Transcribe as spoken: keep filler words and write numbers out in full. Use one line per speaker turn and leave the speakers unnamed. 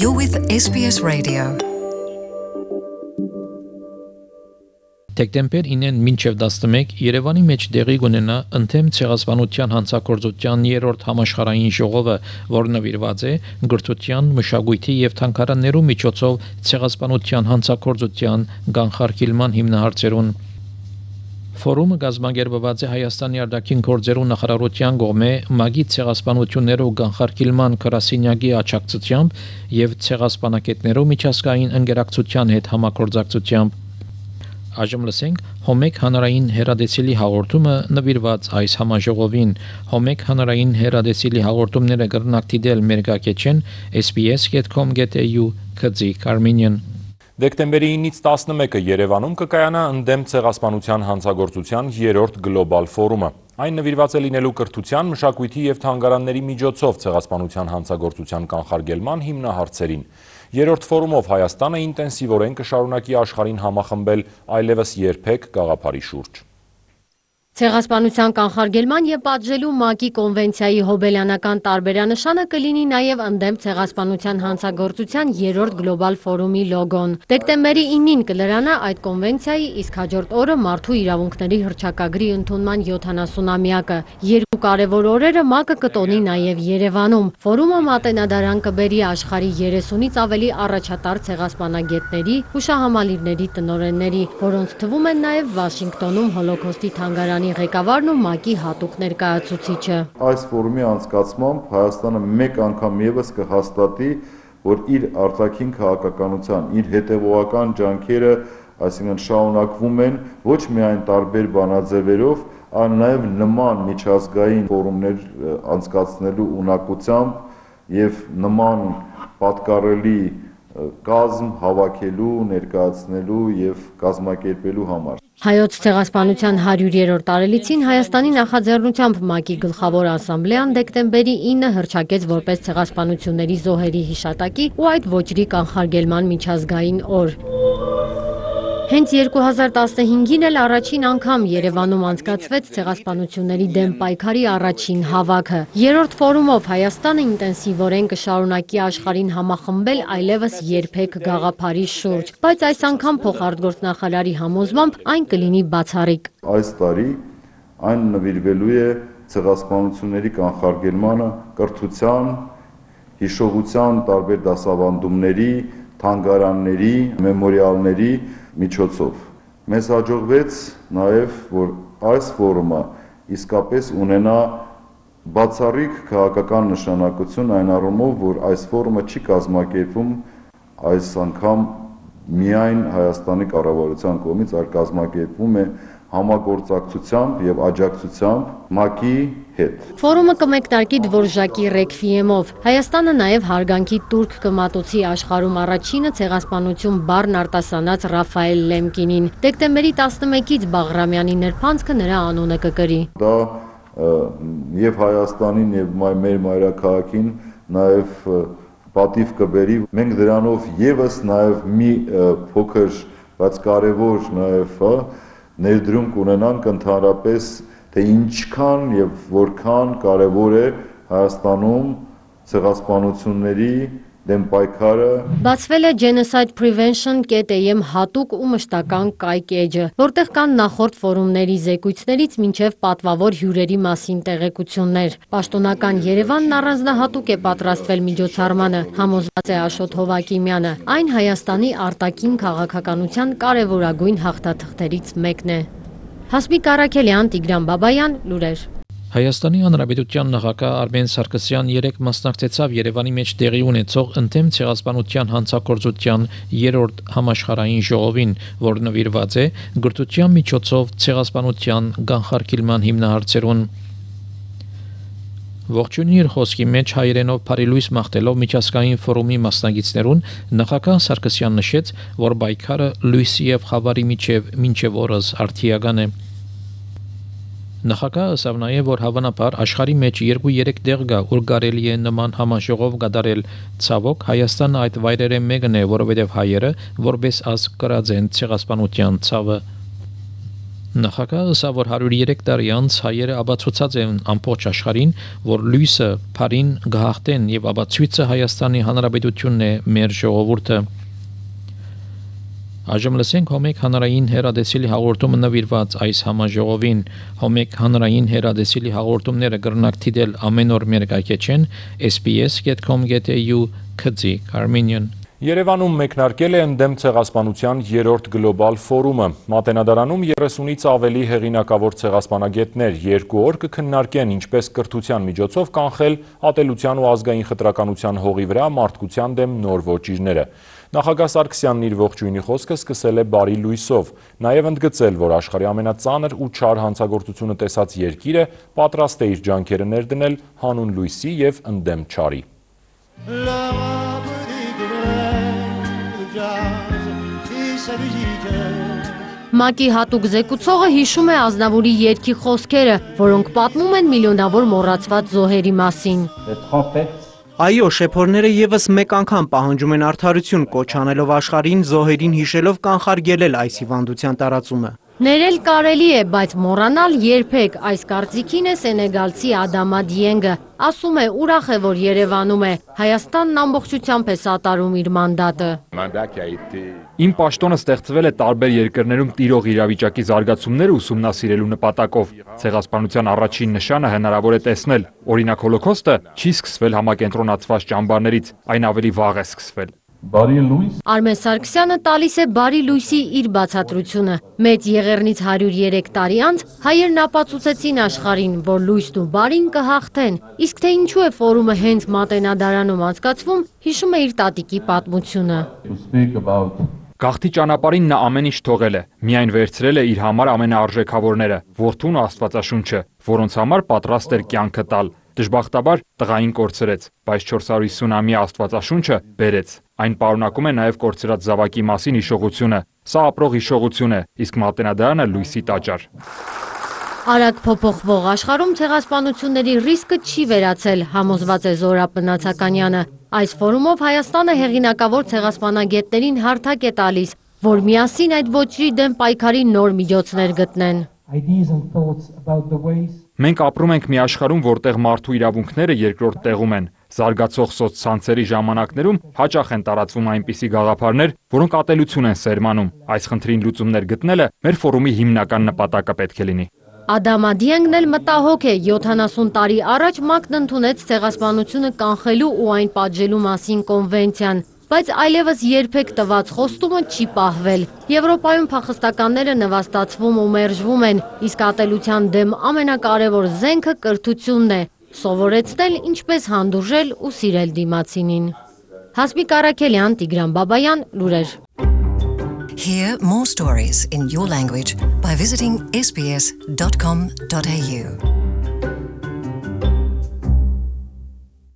You're with S B S Radio.
Դեկտեմբեր ինեն մինչև տասնմեկ Երևանի մեջ դեղի կունենա ընդդեմ ցեղասպանության հանցագործության երրորդ համաշխարհային ժողովը, որը նվիրված է գրթության, մշակույթի եւ թանգարաններու միջոցով ցեղասպանության հանցագործության կանխարգելման հիմնահարցերուն։ Ֆորումը կազմակերպված է Հայաստանի արտաքին գործերու նախարարության կողմէ մագի ցեղասպանություններու կանխարգելման գրասենյակի աջակցությամբ եւ ցեղասպանակետներու միջազգային ընկերակցության հետ համագործակցությամբ։ Այժմ լսենք Հոմեկ հանրային հերադեսիլի հաղորդումը նվիրված այս համաժողովին։ Հոմեկ հանրային հերադեսիլի հաղորդումները կրնակ դիտել մեր գագեչեն S B S dot com dot a u քծիկ Armenian։
Դեկտեմբերի ինից տասնմեկը Երևանում կկայանա ընդդեմ ցեղասպանության հանցագործության երրորդ գլոբալ ֆորումը։ Այն նվիրված է լինելու կրթության, մշակույթի եւ թանգարանների միջոցով ցեղասպանության հանցագործության կանխարգելման հիմնահարցերին։ Երրորդ ֆորումով Հայաստանը ինտենսիվորեն կշարունակի աշխարհին համախմբել այլևս երբեք գաղափարի շուրջ։
Ցեղասպանության կանխարգելման եւ պատժելու ՄԱԿ-ի կոնվենցիայի հոբելյանական տարբերանշանը կլինի նաեւ ընդդեմ ցեղասպանության հանցագործության երրորդ գլոբալ ֆորումի լոգոն։ Դեկտեմբերի ինին կլրանա այդ կոնվենցիայի, իսկ հաջորդ օրը մարդու իրավունքների հռչակագրի ընդունման յոթանասունամյակը։ Երկու կարևոր օրերը ՄԱԿ-ը կտոնի նաեւ Երևանում։ Ֆորումը մատենադարան կբերի աշխարհի երեսունից ավելի առաջատար ցեղասպանագետների, հուշահամալիրների տնօրենների, որոնց թվում են նաեւ Վաշինգտոնում հոլոքոստի թանգարանի ղեկավարն ու ՄԱԿ-ի հատուկ ներկայացուցիչը։
Այս ֆորումի անցկացմամբ Հայաստանը մեկ անգամ եւս կհաստատի, որ իր արտաքին քաղաքականության, իր հետևողական ջանքերը, այսինքն շարունակվում են ոչ միայն տարբեր բանաձևերով, այլ նաեւ նման միջազգային ֆորումներ անցկացնելու ունակությամբ եւ նման պատկառելի կազմ հավաքելու, ներկայացնելու եւ կազմակերպելու համար։
Հայոց ցեղասպանության հարյուրերորդ տարելիցին Հայաստանի նախաձեռնությամբ ՄԱԿ-ի գլխավոր ասամբլեան դեկտեմբերի ինը հռչակեց որպես ցեղասպանությունների զոհերի հիշատակի ու այդ ոճրի կանխարգելման միջազգային օր։ Հենց երկու հազար տասնհինգին էլ առաջին անգամ Երևանում անցկացվեց ցեղասպանությունների դեմ պայքարի առաջին հավաքը։ Երրորդ ֆորումով Հայաստանը ինտենսիվորեն կշարունակի աշխարհին համախմբել այլևս երբեք գաղափարի շուրջ, բայց այս անգամ փոխարտգործնախարարի համոզմամբ այն կլինի բացառիկ։
Այս տարի այն նվիրվելու է ցեղասպանությունների կանխարգելմանը, կրթության, հիշողության տարբեր դասավանդումների, թանգարանների, մեմորիալների միջոցով։ Մեզ հաջողվեց նաև, որ այս ֆորումը իսկապես ունենա բացառիկ քաղաքական նշանակություն այն առումով, որ այս ֆորումը չի կազմակերպվում այս անգամ միայն Հայաստանի կառավարության կողմից, այլ կազմակերպվում է համագործակցությամբ եւ աջակցությամբ ՄԱԿ-ի հետ։
Ֆորումը կմեկնարկի Դվորժակի ռեքվիեմով։ Հայաստանը նաև հարգանքի տուրք կմատուցի աշխարհում առաջինը ցեղասպանություն բառն արտասանած Ռաֆայել Լեմկինին։ Դեկտեմբերի տասնմեկից Բաղրամյանի նրբանցքը նրա անունը կկրի։
Դա եւ Հայաստանին եւ մեր մայրաքաղաքին նաեւ պատիվ կբերի։ Մենք դրանով եւս նաեւ մի փոքր, բայց կարեւոր նաեւ ներդրում կունենանք ընդհանրապես, թե ինչքան եւ որքան կարեւոր է Հայաստանում ցեղասպանությունների դեմ պայքարը։
Բացվել է Genocide Prevention dot a m հատուկ ու մշտական կայք էջը, որտեղ կան նախորդ ֆորումների զեկույցներից մինչև պատվավոր հյուրերի մասին տեղեկություններ։ Պաշտոնական Երևանն առանձնահատուկ է պատրաստվել միջոցառմանը, համոզված է Աշոտ Հովակիմյանը։ Այն Հայաստանի արտաքին քաղաքականության կարևորագույն հաղթաթղթերից մեկն է։ Հասմիկ Արաքելյան, Տիգրան Բաբայան, լուրեր։
Հայաստանի Հանրապետության նախագահ Արմեն Սարգսյան երեկ մասնակցեցավ Երևանի մեջ տեղի ունեցող ընդդեմ ցեղասպանության հանցագործության երրորդ համաշխարհային ժողովին, որը նվիրված է գրթության միջոցով ցեղասպանության կանխարգելման հիմնահարցերուն։ Ողջույնի իր խոսքի մեջ հայերենով բարելույս մաղթելով միջազգային ֆորումի մասնակիցներուն նախագահ Սարգսյան նշեց, որ պայքարը լույսի եւ խավարի միջև մինչև օրս արդիական է։ Նախագահը ասավ նաև, որ հավանաբար աշխարհի մեջ երկու-երեք տեղ կա, ուր կարելի է նման համաժողով կատարել։ Ցավոք, Հայաստանը այդ վայրերը մեկն է, որովհետև հայերը որպես ազգ կրած են ցեղասպանության ցավը։ Նախագահը ասա, որ հարյուր երեք տարի անց հայերը աբացուցած են ամբողջ աշխարհին, որ լույսը, փարին գահատեն եւ աբացույցը Հայաստանի Հանրապետությունն է մեր ժողովուրդը։ Այժմ լսենք Հոմեկ հանրային հերադեսիլի հաղորդումը նվիրված այս համաժողովին։ Հոմեկ հանրային հերադեսիլի հաղորդումները կրնակ դիտել ամեն օր մեր կայքեչեն S B S dot com dot A U քծի Armenian
Երևանում մեկնարկել է ընդդեմ ցեղասպանության երրորդ գլոբալ ֆորումը։ Մատենադարանում երեսունից ավելի հեղինակավոր ցեղասպանագետներ երկու օր կքննարկեն ինչպես կրթության միջոցով կանխել ատելության ու ազգային խտրականության հողի վրա մարդկության դեմ նոր ոճիրները։ Նախագահ Սարգսյանն իր ողջույնի խոսքը սկսել է բարի լույսով, նաև ընդգծել, որ աշխարհի ամենածանր ու չար հանցագործությունը տեսած երկիրը պատրաստ է իր ջանքերը ներդնել հանուն լույսի եւ ընդդեմ չարի։
ՄԱԿ-ի հատուկ զեկուցողը հիշում է Ազնավուրի երգի խոսքերը, որոնք պատմում են միլիոնավոր մոռացված զոհերի մասին։
Այո, շեփորները եւս մեկ անգամ պահանջում են արդարություն, կոչ անելով աշխարհին զոհերին հիշելով կանխարգելել այս հիվանդության տարածումը։
Ներել կարելի է, բայց մոռանալ երբեք, այս կարծիքին է սենեգալցի Ադամա Դիենգը, ասում է ուրախ է, որ Երևանում է, Հայաստանն ամբողջությամբ է սատարում իր մանդատը։
Իմ պաշտոնը ստեղծվել է տարբեր երկրներում տիրող իրավիճակի զարգացումները ուսումնասիրելու նպատակով։ Ցեղասպանության առաջին նշանը հնարավոր է տեսնել, օրինակ հոլոքոստը չի սկսվել համակենտրոնացված ճամբարներից, այն ավելի վաղ է սկսվել։
Բարի լույս
Արմեն Սարգսյանը տալիս է բարի լույսի իր բացատրությունը։ Մեծ եղեռնից հարյուր երեք տարի անց հայերն ապացուցեցին աշխարհին, որ լույսն ու բարին կհաղթեն։ Իսկ թե ինչու է ֆորումը հենց Մատենադարանում անցկացվում, հիշում է իր տատիկի պատմությունը։
Գաղթի ճանապարհին նա ամեն ինչ թողել է, միայն վերցրել է իր համար ամենաարժեքավորները՝ որդուն ու Աստվածաշունչը, որոնց համար պատրաստ էր կյանքը տալ։ Դժբախտաբար տղային կորցրեց, բայց չորս հարյուր ութ-ամյա Աստվածաշունչը բերեց։ Այն պարունակում է նաև կորցրած զավակի մասին հիշողությունը։ Սա ապրող հիշողություն է, իսկ Մատենադարանը լույսի տաճար։
Արագ փոփոխվող աշխարհում ցեղասպանությունների ռիսկը չի վերացել, համոզված է Զորա Պնացականյանը։ Այս ֆորումով Հայաստանը հեղինակավոր ցեղասպանագետներին հարթակ է տալիս, որ միասին այդ ոճրի դեմ պայքարի նոր միջոցներ գտնեն։
Մենք ապրում ենք մի աշխարհում, որտեղ մարդու իրավունքները երկրորդ տեղում են։ Զարգացող սոցցանցերի ժամանակներում հաճախ են տարածվում այնպիսի գաղափարներ, որոնք ատելություն են սերմանում։ Այս խնդրին լուծումներ գտնելը մեր ֆորումի հիմնական նպատակը պետք է լինի։
Ադամա Դիենգն էլ մտահոգ է, յոթանասուն տարի առաջ ՄԱԿ-ն ընդունեց ցեղասպանությունը կանխելու ու այն պատժելու մասին կոնվենցիան, բայց այլևս երբեք տված խոստումը չի պահվել։ Եվրոպայում փախստականները նվաստացվում ու մերժվում են, իսկ ատելության դեմ ամենակարևոր զենքը կրթությունն է, սովորեցնել ինչպես հանդուրժել ու սիրել դիմացինին։ Հասմիկ Արաքելյան, Տիգրան Բաբայան, լուրեր։
Hear more stories in your language by visiting S B S dot com dot A U.